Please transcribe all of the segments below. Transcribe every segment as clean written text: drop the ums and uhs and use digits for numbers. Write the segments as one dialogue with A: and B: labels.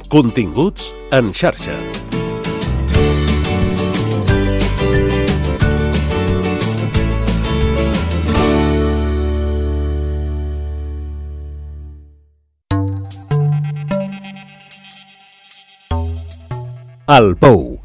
A: Continguts en xarxa. El Pou.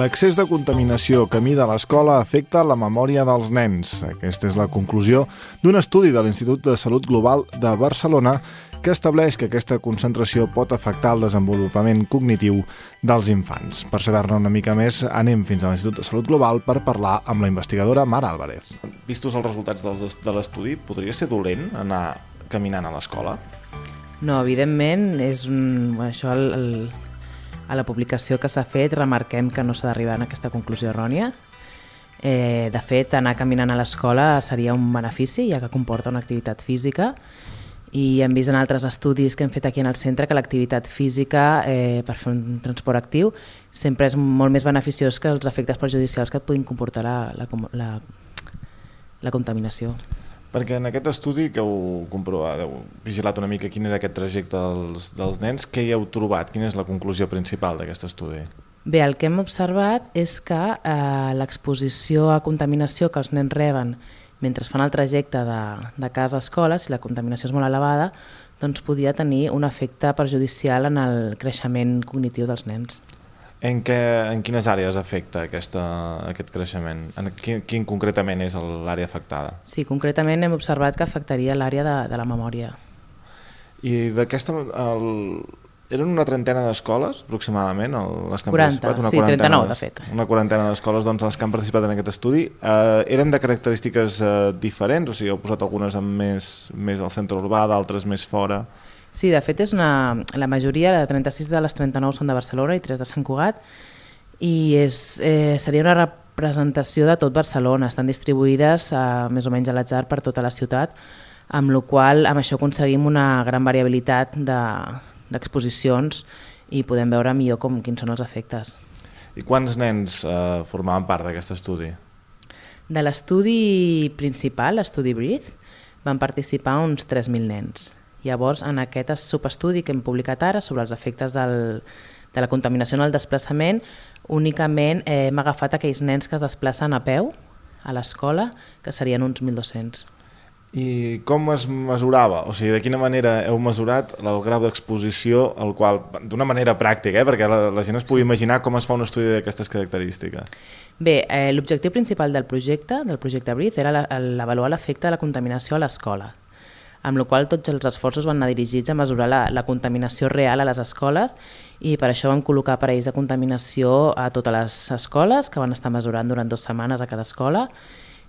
B: L'excés de contaminació camí de l'escola afecta la memòria dels nens. Aquesta és la conclusió d'un estudi de l'Institut de Salut Global de Barcelona que estableix que aquesta concentració pot afectar el desenvolupament cognitiu dels infants. Per saber-ne una mica més, anem fins a l'Institut de Salut Global per parlar amb la investigadora Mar Álvarez. Vistos els resultats de l'estudi, podria ser dolent anar caminant a l'escola?
C: No, evidentment, és a la publicació que s'ha fet remarquem que no s'ha d'arribar a aquesta conclusió errònia. De fet, anar caminant a l'escola seria un benefici, ja que comporta una activitat física, i hem vist en altres estudis que hem fet aquí en el centre que l'activitat física per fer un transport actiu sempre és molt més beneficiós que els efectes perjudicials que et puguin comportar la contaminació.
B: Perquè en aquest estudi que heu comprovat, heu vigilat una mica quin era aquest trajecte dels nens, què hi heu trobat? Quina és la conclusió principal d'aquest estudi?
C: Bé, el que hem observat és que l'exposició a contaminació que els nens reben mentre fan el trajecte de casa a escola, si la contaminació és molt elevada, doncs podia tenir un efecte perjudicial en el creixement cognitiu dels nens.
B: En quines àrees afecta aquest creixement? Quin concretament és l'àrea afectada?
C: Sí, concretament hem observat que afectaria l'àrea de la memòria.
B: I d'aquesta... Eren una trentena d'escoles, aproximadament, les que han
C: 40,
B: participat?
C: Sí, 39, de fet.
B: Una quarantena d'escoles doncs, les que han participat en aquest estudi. Eren de característiques diferents? O sigui, heu posat algunes més al centre urbà, d'altres més fora?
C: Sí, de fet, la majoria, de 36 de les 39 són de Barcelona i 3 de Sant Cugat, i seria una representació de tot Barcelona. Estan distribuïdes més o menys a l'atzar per tota la ciutat, amb la qual amb això aconseguim una gran variabilitat d'exposicions i podem veure millor quins són els efectes.
B: I quants nens formaven part d'aquest estudi?
C: De l'estudi principal, l'estudi Breathe, van participar uns 3.000 nens. Llavors, en aquest subestudi que hem publicat ara sobre els efectes de la contaminació en el desplaçament, únicament hem agafat aquells nens que es desplacen a peu a l'escola, que serien uns 1.200.
B: I com es mesurava? O sigui, de quina manera heu mesurat el grau d'exposició al qual, d'una manera pràctica, perquè la gent es pugui imaginar com es fa un estudi d'aquestes característiques?
C: Bé, l'objectiu principal del projecte Breathe, era avaluar l'efecte de la contaminació a l'escola, amb la qual tots els esforços van anar dirigits a mesurar la contaminació real a les escoles, i per això vam col·locar aparells de contaminació a totes les escoles, que van estar mesurant durant 2 setmanes a cada escola,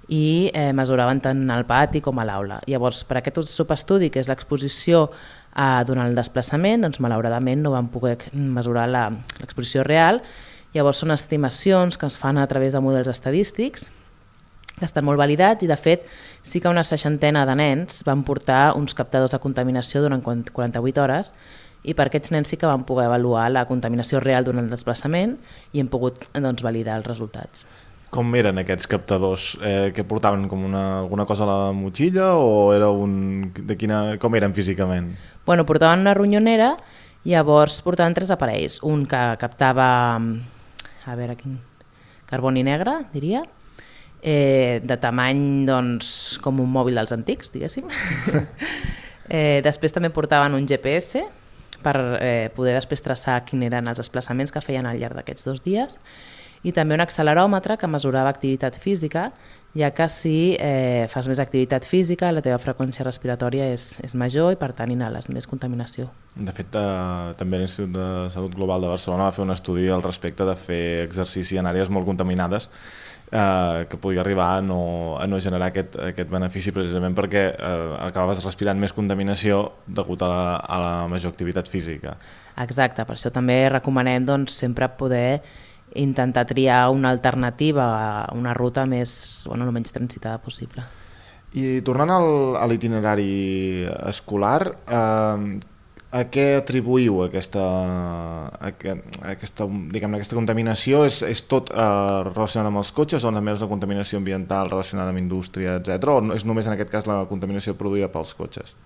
C: i mesuraven tant al pati com a l'aula. Llavors, per aquest subestudi, que és l'exposició durant el desplaçament, doncs malauradament no vam poder mesurar l'exposició real. Llavors són estimacions que es fan a través de models estadístics, que estan molt validats, i de fet sí que una 60ena de nens van portar uns captadors de contaminació durant 48 hores, i per aquests nens sí que van poder avaluar la contaminació real durant el desplaçament i hem pogut validar els resultats.
B: Com eren aquests captadors? Que portaven com alguna cosa a la motxilla o com eren físicament?
C: Bueno, portaven una ronyonera, llavors portaven 3 aparells. Un que captava, carboni negre, diria, de tamany com un mòbil dels antics, diguéssim. Després també portaven un GPS per poder després traçar quins eren els desplaçaments que feien al llarg d'aquests 2 dies, i també un acceleròmetre que mesurava activitat física, ja que si fas més activitat física la teva freqüència respiratòria és major i per tant inhales més contaminació.
B: De fet, també l'Institut de Salut Global de Barcelona va fer un estudi al respecte de fer exercici en àrees molt contaminades que podia arribar a no generar aquest benefici, precisament perquè acabaves respirant més contaminació degut a la major activitat física.
C: Exacte, per això també recomanem sempre poder intentar triar una alternativa a una ruta el menys transitada possible.
B: I tornant a l'itinerari escolar, A què atribuïu aquesta contaminació? És tot relacionat amb els cotxes o també és la contaminació ambiental relacionada amb indústria, etc. O és només en aquest cas la contaminació produïda pels cotxes?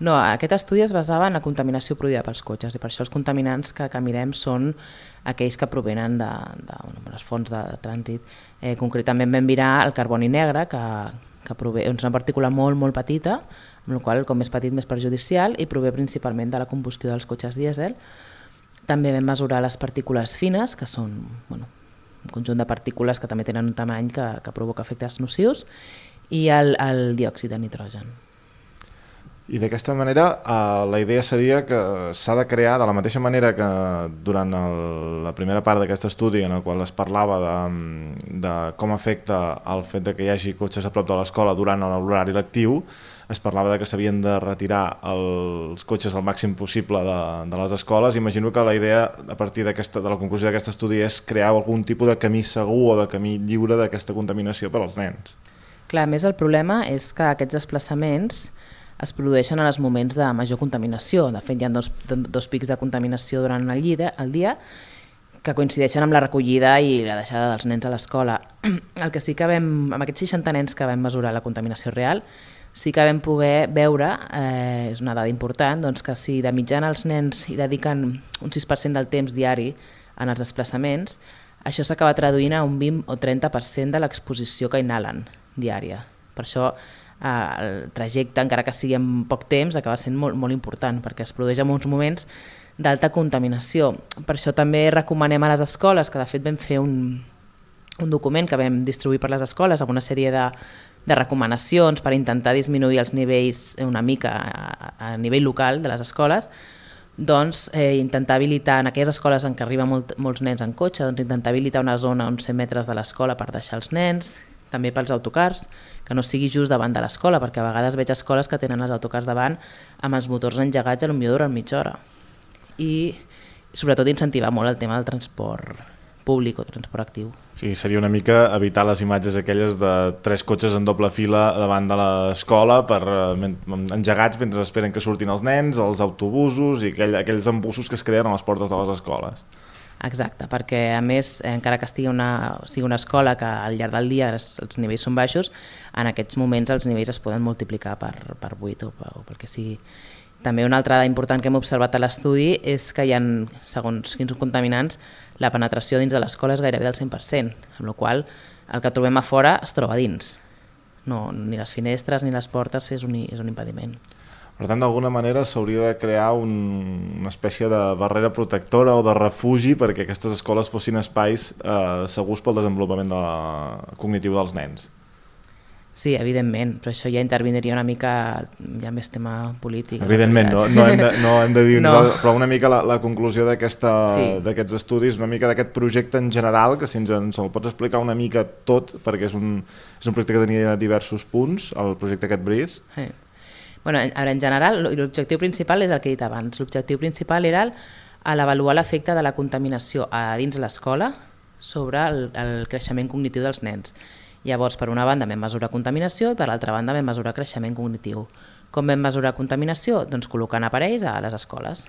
C: No, aquest estudi es basava en la contaminació produïda pels cotxes i per això els contaminants que mirem són aquells que provenen de les fonts de trànsit. Concretament vam mirar el carboni negre, que prové, és una partícula molt, molt petita, amb la qual com més petit més perjudicial, i prové principalment de la combustió dels cotxes dièsel. També vam mesurar les partícules fines, que són un conjunt de partícules que també tenen un tamany que provoca efectes nocius, i el diòxid de nitrogen.
B: I d'aquesta manera la idea seria que s'ha de crear, de la mateixa manera que durant la primera part d'aquest estudi en el qual es parlava de com afecta el fet de que hi hagi cotxes a prop de l'escola durant l'horari lectiu, es parlava de que s'havien de retirar els cotxes al màxim possible de les escoles. Imagino que la idea, a partir de la conclusió d'aquest estudi, és crear algun tipus de camí segur o de camí lliure d'aquesta contaminació per als nens.
C: Clar, a més el problema és que aquests desplaçaments es produeixen en els moments de major contaminació. De fet, hi ha dos pics de contaminació durant el dia que coincideixen amb la recollida i la deixada dels nens a l'escola. El que sí que amb aquests 60 nens que vam mesurar la contaminació real, sí que vam poder veure, és una dada important, doncs que si de mitjana els nens hi dediquen un 6% del temps diari en els desplaçaments, això s'acaba traduint a un 20 o 30% de l'exposició que inhalen diària. Per això el trajecte, encara que sigui en poc temps, acaba sent molt, molt important, perquè es produeix en uns moments d'alta contaminació. Per això també recomanem a les escoles, que de fet vam fer un document que vam distribuir per les escoles amb una sèrie de recomanacions per intentar disminuir els nivells una mica a nivell local de les escoles, doncs intentar habilitar en aquelles escoles en què arriben molts nens en cotxe, doncs intentar habilitar una zona a uns 100 metres de l'escola per deixar els nens, també pels autocars, que no sigui just davant de l'escola, perquè a vegades veig escoles que tenen els autocars davant amb els motors engegats potser durant mitja hora. I sobretot incentivar molt el tema del transport públic o transport actiu.
B: Sí, seria una mica evitar les imatges aquelles de 3 cotxes en doble fila davant de l'escola engegats mentre esperen que surtin els nens, els autobusos i aquells embussos que es creen a les portes de les escoles.
C: Exacte, perquè a més, encara que sigui una escola que al llarg del dia els nivells són baixos, en aquests moments els nivells es poden multiplicar per 8 o pel que sigui. També una altra dada important que hem observat a l'estudi és que hi ha, segons quins contaminants, la penetració dins de l'escola és gairebé del 100%, amb la qual el que trobem a fora es troba dins. No, ni les finestres ni les portes és un impediment.
B: Per tant, d'alguna manera s'hauria de crear una espècie de barrera protectora o de refugi perquè aquestes escoles fossin espais segurs pel desenvolupament cognitiu dels nens.
C: Sí, evidentment, però això ja intervindria una mica, ja més tema polític.
B: Evidentment, no hem de dir, no. Però una mica la conclusió d'aquests estudis, una mica d'aquest projecte en general, que si ens el pots explicar una mica tot, perquè és un projecte que tenia diversos punts, el projecte aquest Breathe.
C: Sí. Bueno, en general, l'objectiu principal és el que he dit abans. L'objectiu principal era l'avaluar l'efecte de la contaminació a dins l'escola sobre el creixement cognitiu dels nens. Llavors, per una banda vam mesurar contaminació i per l'altra banda vam mesurar creixement cognitiu. Com vam mesurar contaminació? Doncs col·locant aparells a les escoles,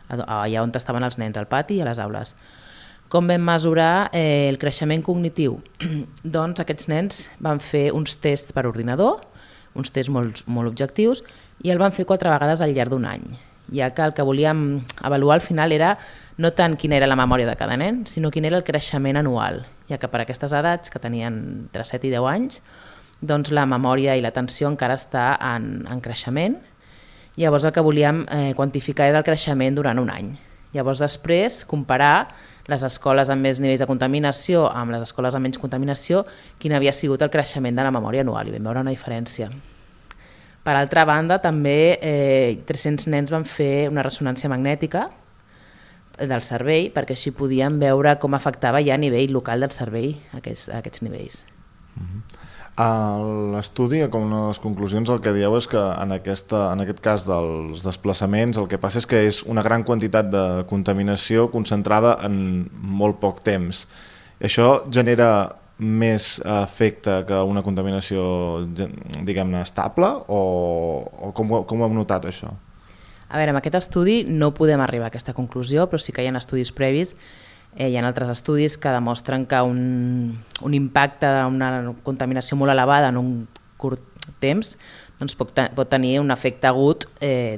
C: allà on estaven els nens, al pati i a les aules. Com vam mesurar el creixement cognitiu? Doncs aquests nens van fer uns tests per ordinador, uns tests molt objectius, i el van fer 4 vegades al llarg d'un any, ja que el que volíem avaluar al final era no tant quina era la memòria de cada nen, sinó quin era el creixement anual, ja que per aquestes edats, que tenien entre 7 i 10 anys, doncs la memòria i l'atenció encara està en creixement. Llavors el que volíem quantificar era el creixement durant un any. Llavors després comparar les escoles amb més nivells de contaminació amb les escoles amb menys contaminació, quin havia sigut el creixement de la memòria anual, i vam veure una diferència. Per altra banda, també 300 nens van fer una ressonància magnètica del cervell, perquè així podíem veure com afectava ja a nivell local del cervell aquests nivells.
B: L'estudi, com una de les conclusions, el que dieu és que en aquest cas dels desplaçaments el que passa és que és una gran quantitat de contaminació concentrada en molt poc temps. Això genera més efecte que una contaminació, diguem-ne, estable, o com ho hem notat això?
C: A veure, amb aquest estudi no podem arribar a aquesta conclusió, però sí que hi ha estudis previs, hi ha altres estudis que demostren que un impacte d'una contaminació molt elevada en un curt temps doncs pot tenir un efecte agut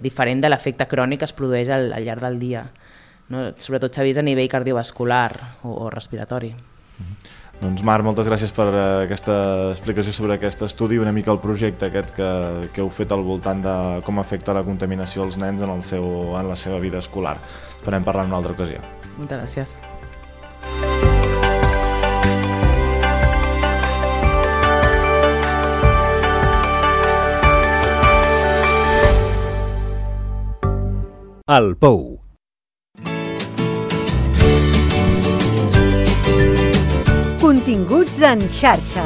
C: diferent de l'efecte crònic que es produeix al llarg del dia. No? Sobretot s'ha vist a nivell cardiovascular o respiratori.
B: Doncs Marc, moltes gràcies per aquesta explicació sobre aquest estudi, una mica el projecte aquest que heu fet al voltant de com afecta la contaminació als nens en la seva vida escolar. Esperem parlar en una altra ocasió.
C: Moltes gràcies.
A: El Pou.
D: Continguts en xarxa.